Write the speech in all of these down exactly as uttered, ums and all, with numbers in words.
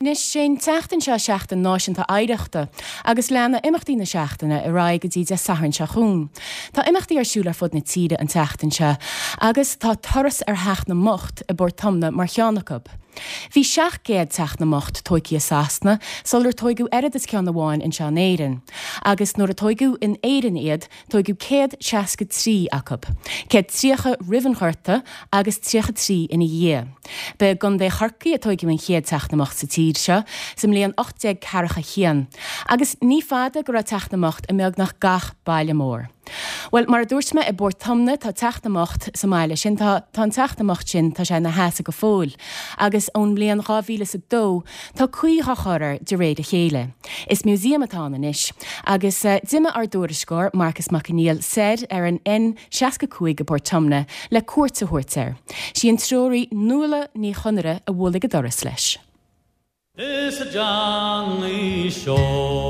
Anois sé an tseachtain seo Seachtain Náisiúnta Oidhreachta agus leanfaidh imeachtaí na seachtaine ar aghaidh go dtí Dé Sathairn seo chugainn. Tá imeachtaí ar siúl ar fud na tíre an tseachtain seo agus tá turas ar Theach na mBocht i bPort Omna mar cheann acu. Bhí seacht gcéad Teach na mBocht tógtha i Sasana sular tógadh oiread is ceann amháin anseo in Éirinn. Agus nuair a tógadh in Éirinn iad, tógadh céad seasca trí acu. Céad tríocha roimh an Ghorta agus tríocha trí ina dhiaidh. Ba i gContae Chorcaí a tógadh an chéad Teach na mBocht sa tír seo sa mbliain ocht déag ceathracha haon, agus ní fada go raibh Teach na mBocht i mbeagnach gach baile mór. Bhuel, mar a dúirt mé, i bPort Omna tá Teach na mBocht sa mbaile sin, tá tá an Teach na mBocht sin, tá sé ina sheasamh go fóill, agus ón mbliain dhá mhíle is a dó tá caoi á chur air de réir a chéile. Is museum atá ann anois, agus d'imigh ár dtuairisceoir, Marcas Mac Conghail, soir ar an N seasca cúig i bPort Omna le cuairt a thabhairt air. Sí an treoraí Nuala Ní Chonaire a bhuail ag an doras leis. Is a Johnny Seoige,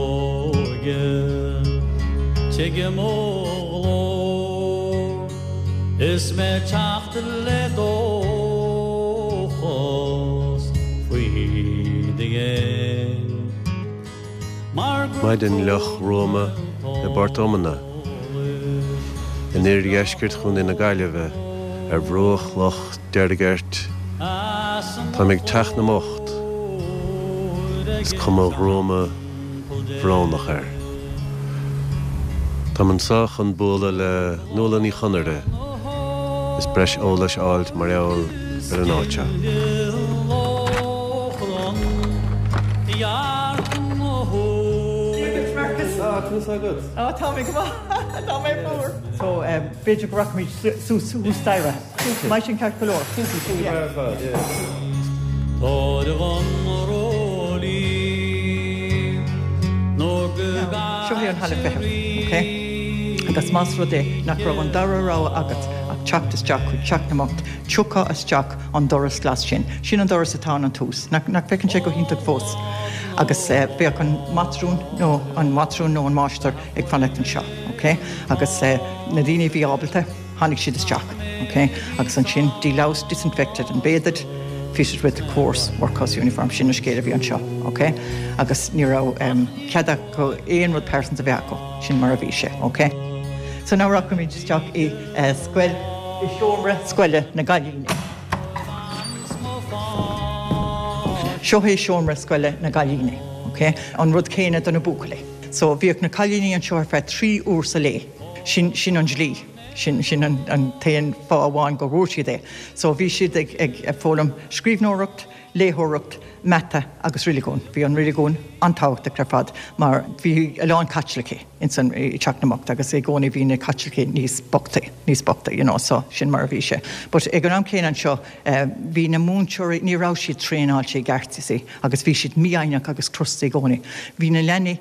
tuigim mo ghlór, is mé ag teacht le dóchas faoi do dhéin. Mar gur Maidin fhliuch ghruama i bPort Omna, in oirdheisceart Chontae na Gaillimhe, ar bhruach Loch Deirgeirt, táim ag Teach na mBocht. Is cuma ghruama bhrónach air. Táim anseo chun bualadh le Nuala Ní Chonaire is breis eolais a fháilt mar gheall ar an áit seo. Á tá mé go maith tá mé fuar. So b'fhéidir go rachaimid suas suas staighre. Mbeidh sin ceart go leor. Seo é an halla feithimh, ok? Agus más rud é nach raibh an dara rogha agat ach teacht isteach chuig Teach na mBocht, tiocfá isteach an doras glas sin. Sin an doras atá ann an tús. Nach nach bhfeiceann sé go hiontach fós? Agus bheadh an matrún nó an matrún nó an máistir ag fanacht anseo, ok? Agus na daoine a bhí ábalta, tháinig siad isteach, ok? Agus ansin deloused, disinfected and bathed, fitted with the coarse workhouse uniform, sin an scéal a bhí anseo, ok? Agus ní raibh cead acu aon rud pearsanta a bheith acu, sin mar a bhí sé, ok? So now rachaimid isteach i scoil, i seomra scoile na gcailíní. Seo é seomra scoile na gcailíní, ok? An rud céanna do na buachaillí. So bhíodh na cailíní anseo ar feadh trí uair sa lae. Sin, sin an dlí. Sin, sin an, an t-aon fáth amháin go bhfuair siad é. So bhí siad ag, ag foghlaim scríbhneoireacht, léitheoireacht, mata agus reiligiún. Bhí an reiligiún an-tábhachtach ar fad mar bhí a lán Caitlicigh ins an, i Teach na mBocht agus i gcónaí bhí na Caitlicigh níos bochtaí, níos bochta, you know, so sin mar a bhí sé. But ag an am céanna anseo bhí na múinteoirí, ní raibh siad traenáilte i gceart, you see, agus bhí siad mífhoighneach agus crosta i gcónaí. Bhí na leanaí,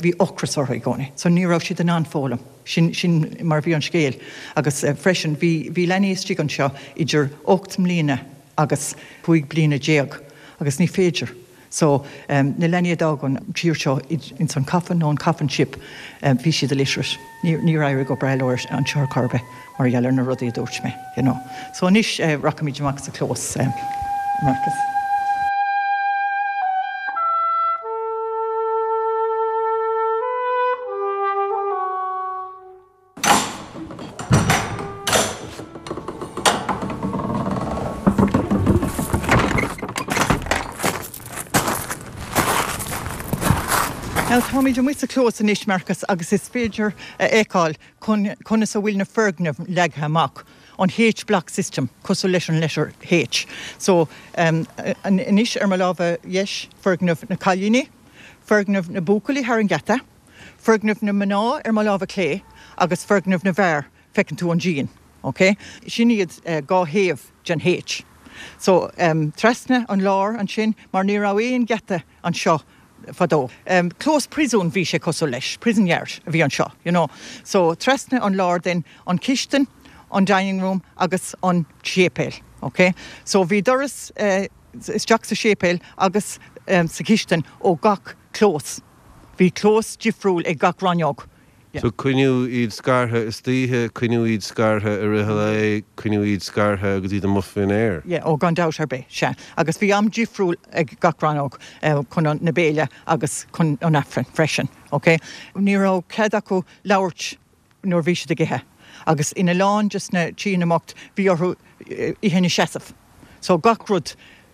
bhí ocras orthu i gcónaí so ní raibh siad in ann foghlaim. Sin, sin mar a bhí an scéal. Agus freisin bhí, bhí leanaí istigh anseo idir ocht mbliana agus cúig bliana déag agus ní féidir. So na leanaí a d'fhág an tír seo ins an coffin nó an coffin ship, bhí siad illiterate. Ní, níor éirigh go breá leo anseo ar chor ar bith mar gheall ar na rudaí a dúirt mé, you know. So anois rachaimid amach sa chlós, Marcus. Now táimid amuigh sa chlós anois, Marcus, agus is féidir a fheiceáil conas a bhfuil na foirgnimh leagtha amach, an H-block system, cosúil leis an letter H. So, anois ar mo lámha dheis, foirgneamh na cailíní, foirgneamh na buachaillí thar an geata, foirgneamh na mná ar mo lámha clé agus foirgneamh na bhfear, feiceann tú an díon, ok? Sin iad dhá thaobh den H. So, trasna an lár ansin, mar ní raibh aon gheata anseo fadó. Clós príosúin bhí sé cosúil leis, prison yard a bhí anseo, you know. So, trasna an lár then, an chistin, an dining room agus an séipéal, ok? So, bhí doras isteach sa séipéal agus sa chistin ó gach clós. Bhí clós difriúil ag gach rannóg. So coinníodh iad scartha istoíche, coinníodh iad scartha i rith an lae, coinníodh iad scartha agus iad amuigh faoin aer. Yeah, ó gan dabht ar bith, sea. Agus bhí am difriúil ag gach rannóg chun na béile agus chun an Aifrinn freisin, ok? Ní raibh cead acu labhairt nuair bhí siad ag ithe. Agus ina lán de na tithe na mbocht bhí orthu ithe ina seasamh. So gach rud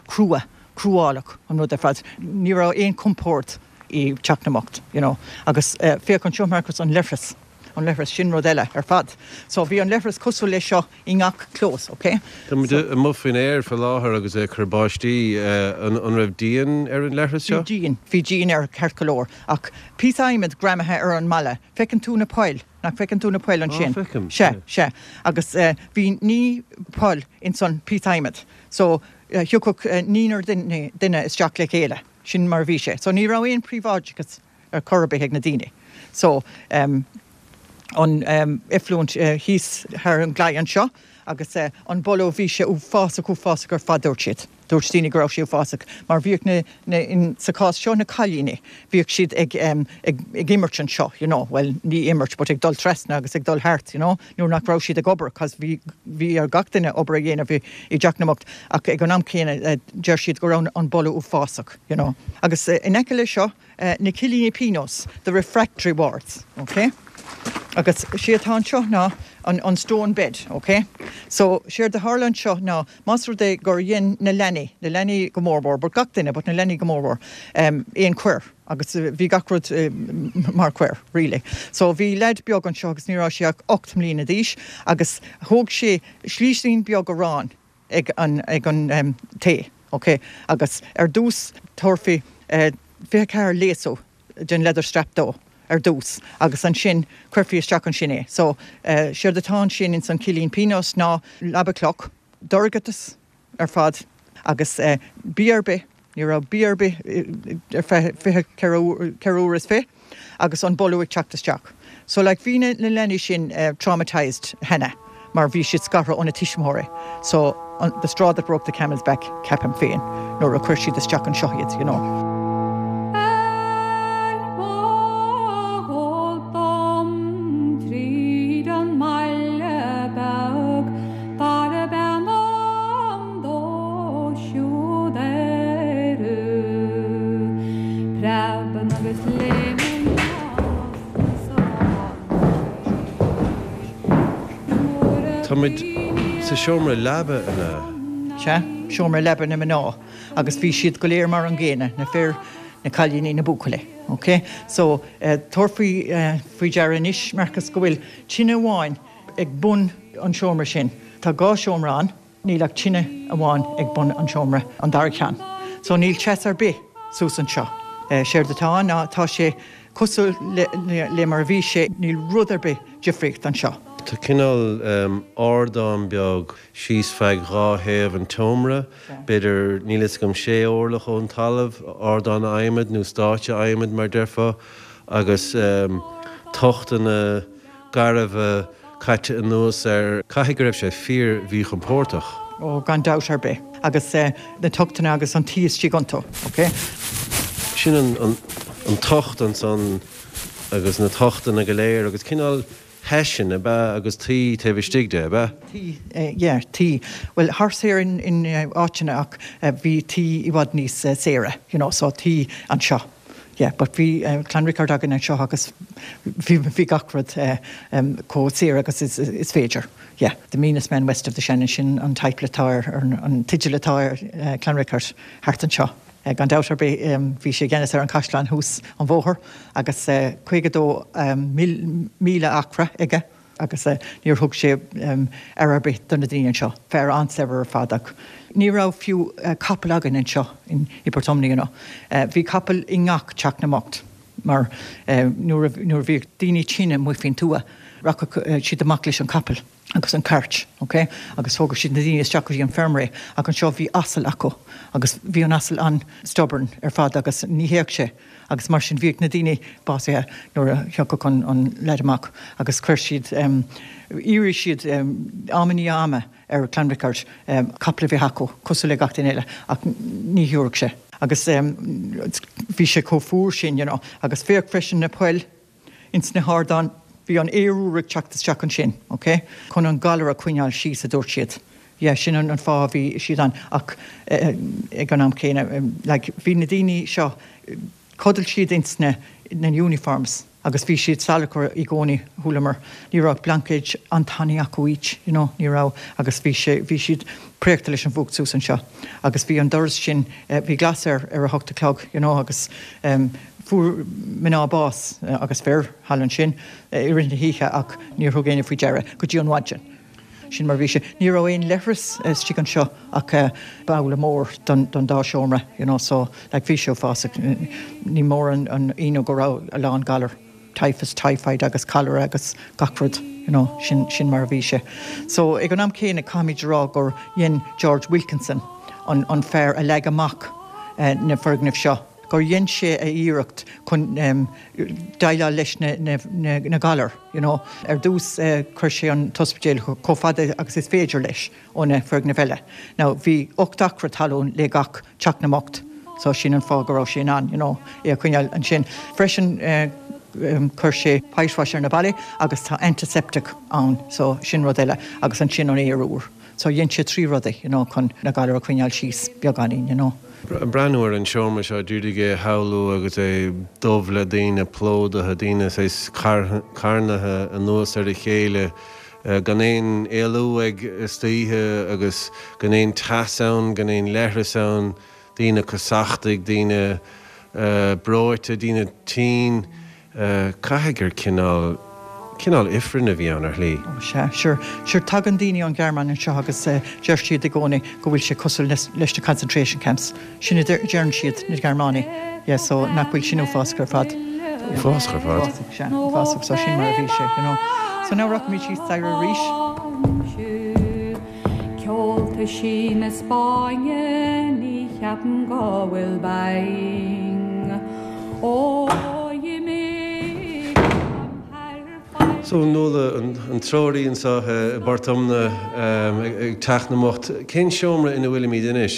crua, cruálach an rud ar fad. Ní raibh aon compord i dteach na mbocht, you know. Agus féach anseo Marcus an leithreas, an leithreas, sin rud eile ar fad. So bhí an leithreas cosúil leis seo i ngach clós, ok? Tá muid amuigh faoin aer faoi láthair agus é ag cur báistí, an raibh díon ar an leithreas seo? Bhí díon, bhí díon air ceart go leor, ach píosa adhmaid greamaithe ar an mballa. Feiceann tú na poill, nach bhfeiceann tú na poill ansin? Á, feicim. Sea, sea. Agus bhí naoi bpoll ins an píosa adhmaid. So thiocfadh naonúr duine, duine isteach le chéile. Sin mar a bhí sé. So ní raibh aon príobháideachas ar chor ar bith ag na daoine. So um, an um, effluent uh, thíos thar an gclaí anseo agus uh, an boladh bhí sé uafásach uafásach ar fad dúirt siad. Dúirt daoine go raibh sé uafásach mar bhíodh na, na, in, sa chás seo na cailíní, bhíodh siad ag, um, ag, ag imirt anseo, you know, well ní imirt, but ag dul trasna agus ag dul thart, you know, nuair nach raibh siad ag obair, cos bhí, bhí ar gach duine obair a dhéanamh i, i dteach na mbocht, ach ag an am céanna uh, deir siad go raibh an boladh uafásach, you know. Agus uh, in aice leis seo, uh, na cillíní pionóis, the refractory wards, okay? Agus sé atá anseo ná an, an stone bed, okay? So séard a tharla anseo ná más rud é gur dhein na leanaí, na leanaí go mórmhór, but gach duine, but na leanaí go mórmhór, um, aon choir, agus uh, bhí gach rud uh, mar choir, really. So bhí leaid beag anseo agus ní raibh sé ach ocht mbliana d'aois, agus thóg sé slísín beag aráin ag an, ag an um, tae, okay? Agus ar dtús thabharfaí uh, fiche ceathair léasadh den leather strap dó ar dtús agus ansin chuirfí isteach ansin é. So uh, séard atá ansin ins an cillín pionóis ná leaba cloch, dorchadas ar fad agus uh, bia ar bith, ní raibh bia ar bith ar feadh fiche ceithre uair is fiche agus an boladh ag teacht isteach. So like bhí na na leanaí sin uh, traumatized cheana mar bhí siad scartha óna tuismitheoirí. So an, the straw that broke the camel's back ceapaim féin nuair a chuir siad isteach anseo iad, you know. Ar bhfágáil dom tríd an mbaile beag darb ainm dó siúd Ériu. Preabann agus léimeann as an Tá muid sa seomra leaba ina. Sea, seomra leaba na mná, agus bhí siad go léir mar an gcéanna, na fir, na cailíní na buachaillí. Okay? So uh, tabhair faoi uh, faoi deara anois Marcus go bhfuil tine amháin ag bun an seomra sin. Tá dhá seomra ann, níl ach tine amháin ag bun an seomra an dara ceann. So níl teas ar bith suas anseo. Uh, séard atá ná tá sé cosúil le, le, le mar a bhí sé níl rud ar bith difríocht anseo. Tá cineál um, ardán beag síos feadh dhá thaobh an tseomra, b'fhéidir níl a fhios agam sé orlach ón talamh, ardán adhmaid nó stáitse adhmaid mar déarfá, agus um, tochtanna garbha caite anuas air caithfidh go raibh sé fíor-mhíchompordach. Ó gan dabht ar bith agus uh, na tochtanna agus an tuí istigh iontu, okay? Sin an, an, an tocht ansan agus na tochtanna go léir agus cineál heisean ab ea agus tuí taobh istigh de ab ea? Tuí, uh, yeah, tuí. Well, thar saor in, in uh, áiteanna ach uh, bhí tuí i bhfad níos uh, saoire, you know, so tuí anseo. Yeah, but bhí uh, Clanricarde againn anseo agus bhí, bhí gach rud uh, um, chomh saor agus is, is féidir. Yeah, the meanest man west of the Shannon sin an title atá ar an, an teideal atá ar uh, Clanricarde thart anseo. Uh, gan dabht ar bith um, bhí sé i gceannas ar an caisleán thuas an bóthar agus uh, caoga dó um, míle, míle acra aige agus uh, níor thug sé um, ar ar bith do na daoine anseo, fear an-saibhir ar fad ach. Ní raibh fiú uh, capall againn anseo in i Portumna, you know. Uh, bhí capall i ngach teach na mbocht mar uh, nuair a nuair a bhí daoine tinn amuigh faoin tuath, rachadh uh, siad amach leis an capall agus an cairt, okay? Agus thógadh siad na daoine isteach go dtí an feirm ach anseo bhí asal acu agus bhí an asal an-stubborn ar fad agus ní théadh sé. Agus mar sin bhíodh na daoine básaithe nuair a thiocfadh an, an leaid amach agus chuir siad um, d'iarr siad um, am i ndiaidh ama ar Clanricarde um, capall a bheith acu cosúil le gach duine eile ach ní thabharfadh sé. Agus um, bhí sé chomh fuar sin, you know, agus féach freisin na poill ins na hardáin Bhí an aer úr ag teacht isteach ansin, okay? Chun an galar a choinneáil síos a dúirt siad. Yeah, sin an, an fáth bhí siad ann ach eh, ag an am céanna like, bhí na daoine seo chodail siad ins na, na uniforms agus bhí siad salachar i gcónaí chualamar. Ní raibh blainkéid an-tanaí acu each, you know, ní raibh agus bhí sé bhí siad préachta leis an bhfuacht suas anseo. Agus bhí an doras sin eh, bhí glas air ar a hocht a chlog, you know, agus um, fuair mná bás eh, agus fir thall ansin eh, i rith na hoíche ach níor thug éinne faoi deara go dtí an mhaidin. Sin mar bhí sé. Ní raibh aon leithreas istigh anseo ach uh, babhla mór don, don dá seomra, you know, so like, bhí sé uafásach ní mór an, an ionadh go raibh a lán galar. Typhus, typhoid agus cholera agus gach rud, you know, sin, sin mar a bhí sé. So ag an am céanna caithfimid rá gur dhein George Wilkinson an, an fear a leag amach uh, na foirgnimh seo. gur dhein sé a iarracht chun um, déileáil leis na, na, na, na galar. You know. Ar dtús uh, chuir sé an t-ospidéal chomh fada agus is féidir leis ó na foirgnimh eile. Now, bhí ocht acra talún le gach teach na mbocht, so sin an fáth go raibh sé an, you know, é a choinneáil ansin. Freisin uh, um, chuir sé whitewash ar na ballaí agus tá antiseptic ann, so sin rud eile agus ansin an aer úr. So dhein sé trí rudaí you know, chun na galair a choinneáil síos beagáinín, you know. Breathnú ar an seomra seo dúidig é shamhlú agus é dubh le daoine plódaithe daoine sé carnaithe anuas ar a chéile gan aon éalú ag istoíche agus gan aon teas ann, gan aon leithreas ann, daoine cosachtaigh, daoine breoite, daoine tinn, caithfidh gur cineál cineál ifreann a bhí ann ar shlí. Sea, sure, sure tagann daoine ón Ghearmáin anseo agus uh, deir siad i gcónaí go bhfuil sé cosúil leis leis na concentration camps. Sin a deireann siad na Gearmánaigh. Yeah, so nach bhfuil sin uafásach ar fad. Uafásach ar fad. Sea, uafásach so sin mar a bhí sé, you know. So now rachaimid síos staighre arís. Ceolta sí na Spáinne ní cheapaim go bhfuil bang. Ó imigh So Nuala an, an treoraí anseo i bPort Omna ag teach na mbocht, cén seomra ina bhfuilimid anois?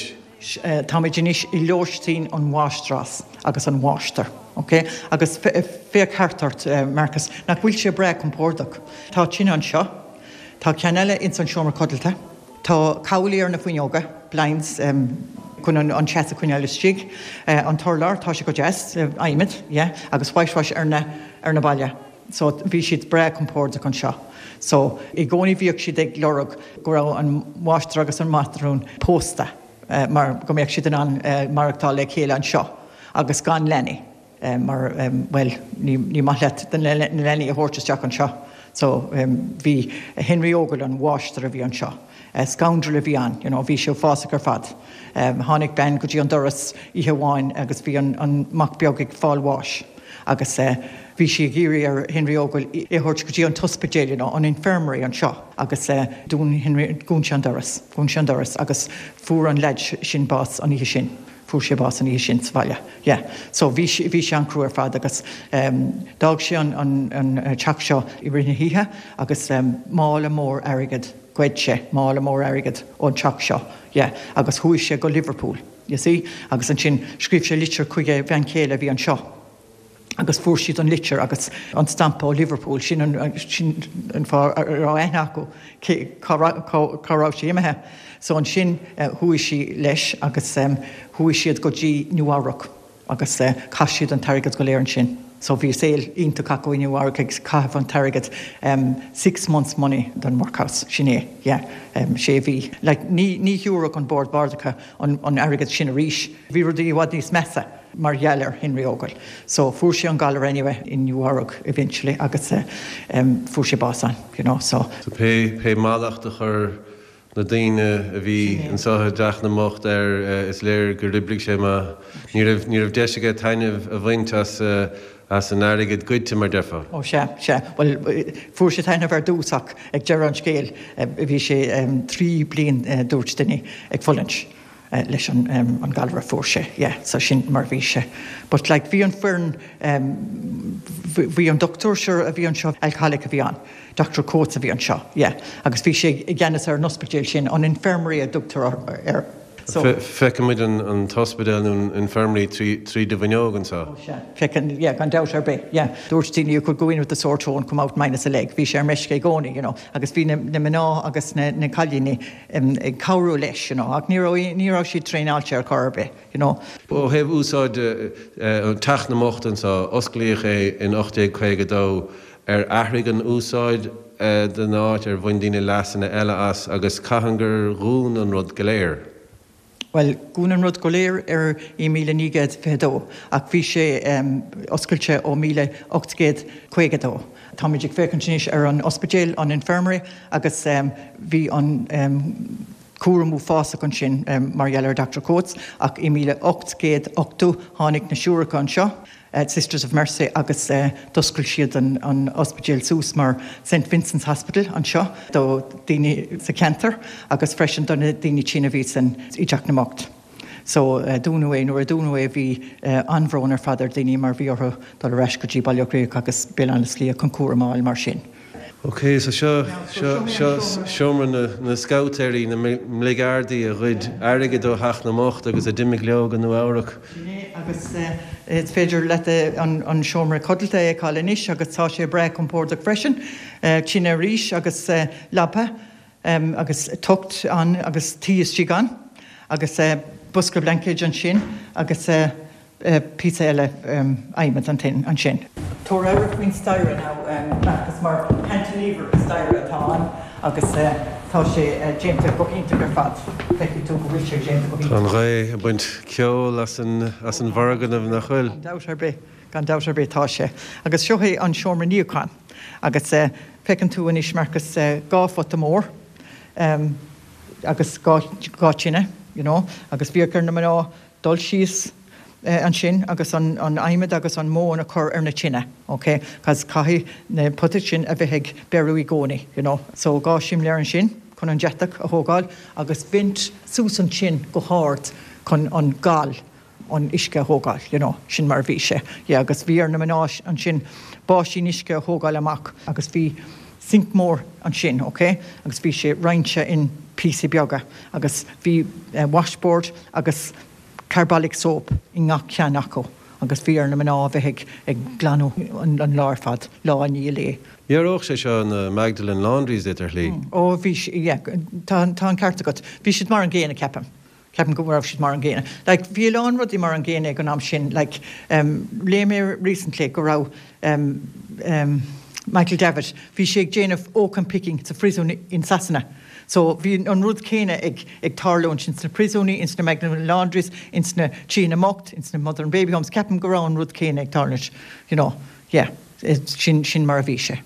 Táimid anois i lóistín an mháistreás agus an mháistir. Okay? Agus féach thart ort uh, Marcus, nach bhfuil sé breá compordach. Tá tine anseo, Tá ceann eile ins an seomra codlata. Tá cabhlaí ar na fuinneoga, blinds um, chun an, an teas a choinneáil istigh. Uh, an t-urlár tá sé go deas uh, adhmad, yeah, agus whitewash ar na, ar na ballaí. So bhí siad breá compordach anseo. So i gcónaí bhíodh siad ag lorg go raibh an máistir agus an mátrún pósta uh, mar go mbeadh siad in ann uh, maireachtáil le chéile anseo agus gan leanaí. Uh, mar um, well, ní, ní maith leat den na leanaí a thabhairt isteach anseo. So um, bhí Henry Ogle an máistir a bhí anseo. Uh, scoundrel a bhí ann, you know, bhí sé uafásach ar fad. Um, tháinig bean go dtí an doras oíche amháin agus bhí an, an mac beag ag fáil bháis. agus uh, bhí sí ag iarraidh ar Henry Ogle é a thabhairt go dtí an t-ospidéal nó an infirmary anseo agus uh, dún Henry dhún sé an doras, dhún sé an doras agus fuair an leaid sin bás an oíche sin. Fuair sé bás an oíche sin sa bhaile. Yeah. So bhí bhí sé an-chrua ar fad agus um, d'fhág sé an, an, an teach seo i rith na hoíche agus um, mála mór airgid ghoid sé mála mór airgid ón teach seo. Yeah. agus chuaigh sé go Liverpool. You see? agus ansin scríobh sé litir chuig a bhean chéile bhí anseo. agus fuair siad an litir agus an stampa ó Liverpool sin an, sin an fáth a raibh aithne acu cá raibh sé imithe. So ansin uh, chuaigh sí leis agus um, chuaigh siad go dtí Nua-Eabhrac agus uh, chaith siad an t-airgead go léir ansin. So bhí saol iontach acu i Nua-Eabhrac ag caitheamh an t-airgead um, six months money don workhouse sin é yeah, um, sé mhí. Like, ní, ní thiúrfadh an Bord Bardacha an, an airgead sin arís. Bhí rudaí i bhfad níos measa mar gheall ar Henry Ogle. So fuair sé an galar anyway in Nua-Eabhrac eventually agus uh, um, fuair sé bás ann, you know, so. So pé pé mallacht a chuir na daoine a bhí anseo i dteach na mbocht air is léir gur oibrigh sé ma ní raibh ní raibh deis aige taitneamh a bhaint as as an airgead goidte mar déarfá. Ó sea sea well fuair sé taitneamh ar dtús ach ag deireadh an scéil bhí sé um, trí bliain uh, dúirt duine ag fulaingt. Uh, leis an, um, an galar a fuair sé, yeah, so sin mar bhí sé. But like, bhí an foireann um, bhí an dochtúir seo a bhí anseo alcoholic a bhí ann. Dr. Coates a bhí anseo, yeah. agus bhí sé i gceannas ar an ospidéal sin an infirmary a dtugtar air. So Feicimid an, an t-ospidéal nó an infirmary trí, trí do bhfuinneog anseo. Oh, sea. Feiceann, yeah, gan dabht ar bith, yeah. Dúirt daoine you could go in with a sore toe and come out minus a leg. Bhí sé ar meisce i gcónaí, you know, agus bhí na, na mná agus na, na cailíní um, ag cabhrú leis, you know, ach ní raibh ní raibh siad traenáilte ar chor ar bith, you know. Ó thaobh úsáid an Teach na mBocht anseo osclaíodh é in ocht déag caoga dó ar athraigh an úsáid den áit ar bhain daoine leasanna eile as agus cathain gur dhún an rud go léir. Bhuel, dhún an rud go léir ar i míle naoi gcéad fiche dó, ach bhí sé oscailte ó míle ocht gcéad caoga dó. Táimid ag féachaint anois ar an ospidéal, an infirmary, agus bhí an cúram uafásach ansin mar gheall ar Doctor Coats, ach i míle ocht gcéad ochtó tháinig na siúracha anseo, Sisters of Mercy, agus d'oscail siad an an ospidéal suas mar Saint Vincent's Hospital anseo do daoine sa cheantar agus freisin do na daoine tinn a bhí san i dTeach na mBocht. So dúnadh é, nuair a dúnadh é bhí an-bhrón ar fad ar daoine mar bhí orthu dul ar ais go dtí Baile Átha Cliath agus Béal Átha na Slí chun cúram a fháil mar sin. Ok, so seo, seo, seo seomra na, na scabhtéirí, na mbligeardaí a ghoid airgead ó Theach na mBocht agus a d'imigh leo go Nua Eabhrac. Sin é, agus is féidir leat an, an seomra codlata a fheiceáil anois agus tá sé breá compordach freisin. Tine arís agus leaba agus tocht ann agus tuí istigh ann agus bosca blaincéid ansin agus píosa eile adhmaid ansin. Tabhair aire faoin staighre now, Marcus, mar cantilever staighre atá ann agus tá sé déanta go hiontach ar fad. Feicfidh tú go bhfuil sé déanta go hiontach. Tá an ghaoth ag baint ceoil as an as an bhfoirgneamh, nach bhfuil? Gan dabht ar bith, gan dabht ar bith tá sé. Agus seo é an seomra níocháin. Agus feiceann tú anois, Marcus, dhá phota mór agus dhá dhá tine, you know, agus bhíodh ar na mná dul síos ansin agus an adhmad agus an mhóin a chur ar na tine, ok, cos caithfidh na potaí sin a bheith ag beiriú i gcónaí, you know. So dhá simléar ansin chun an deatach a thógáil agus vent suas ansin go hard chun an gal an uisce a thógáil, you know, sin mar a bhí sé. Yeah, agus bhí ar na mná ansin báisín uisce a thógáil amach agus bhí sink mór ansin, ok, agus bhí sé roinnte in píosaí beaga agus bhí washboard agus carbolic soap i ngach ceann acu agus bhí ar na mná a bheith ag ag glanadh an lá ar fad, lá i ndiaidh lae. Dhearódh sé seo na Magdalene Laundries duit ar shlí. Ó bhí, yeah, tá tá an ceart agat. Bhí siad mar an gcéanna, ceapaim. Ceapaim go raibh siad mar an gcéanna. Like bhí a lán rudaí mar an gcéanna ag an am sin, like um, léigh mé recently go raibh um, um, Michael Davitt, bhí sé ag déanamh oakum picking sa phríosún in Sasana. So bhí an rud céanna ag ag tarlú ansin sna príosúnaí, ins na Magdalene Laundries, ins na tithe na mbocht, ins na Mother and Baby Homes, ceapaim go raibh an rud céanna ag tarlúint, you know, yeah, sin sin mar a bhí sé.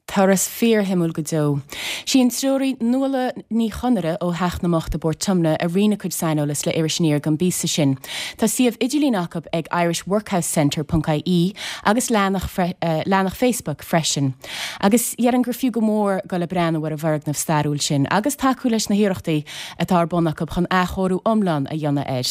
Turas fíorshuimiúil go deo. Sí an treoraí Nuala Ní Chonaire ó Theach na mBocht i bPort Tiomna a roinn a cuid saineolas le Iris Aniar don bpíosa sin. Tá suíomh idirlín acu ag irishworkhousecentre ponc ie agus leathanach leathanach Facebook freisin. Agus déarfainn gur fiú go mór dul ag breathnú ar an bhfoirgneamh stairiúil sin agus tacú leis na hiarrachtaí atá ar bun acu chun athchóiriú iomlán a dhéanamh air.